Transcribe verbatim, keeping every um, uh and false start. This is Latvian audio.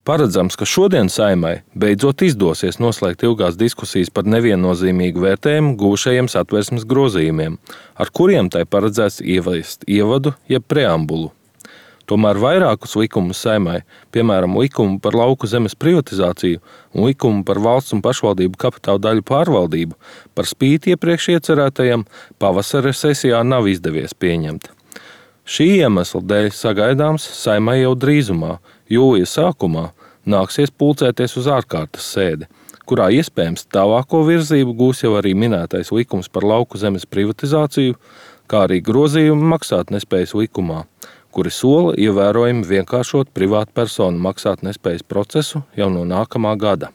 Paredzams, ka šodien Saeimai beidzot izdosies noslēgt ilgās diskusijas par neviennozīmīgu vērtējumu gūšajiem Satversmes grozījumiem, ar kuriem tai paredzēts ieviest ievadu jeb preambulu. Tomēr vairākus likumus Saeimai, piemēram, likumu par lauku zemes privatizāciju un likumu par valsts un pašvaldību kapitāla daļu pārvaldību, par spīti iepriekš iecerētajam, pavasara sesijā nav izdevies pieņemt. Šī iemesla dēļ sagaidāms Saeimai jau drīzumā, jūlija sākumā, nāksies pulcēties uz ārkārtas sēdi, kurā iespējams tālāko virzību gūs jau arī minētais likums par lauku zemes privatizāciju, kā arī grozījumi maksātnespējas likumā, kuri sola ievērojami vienkāršot privātpersonu maksātnespējas procesu jau no nākamā gada.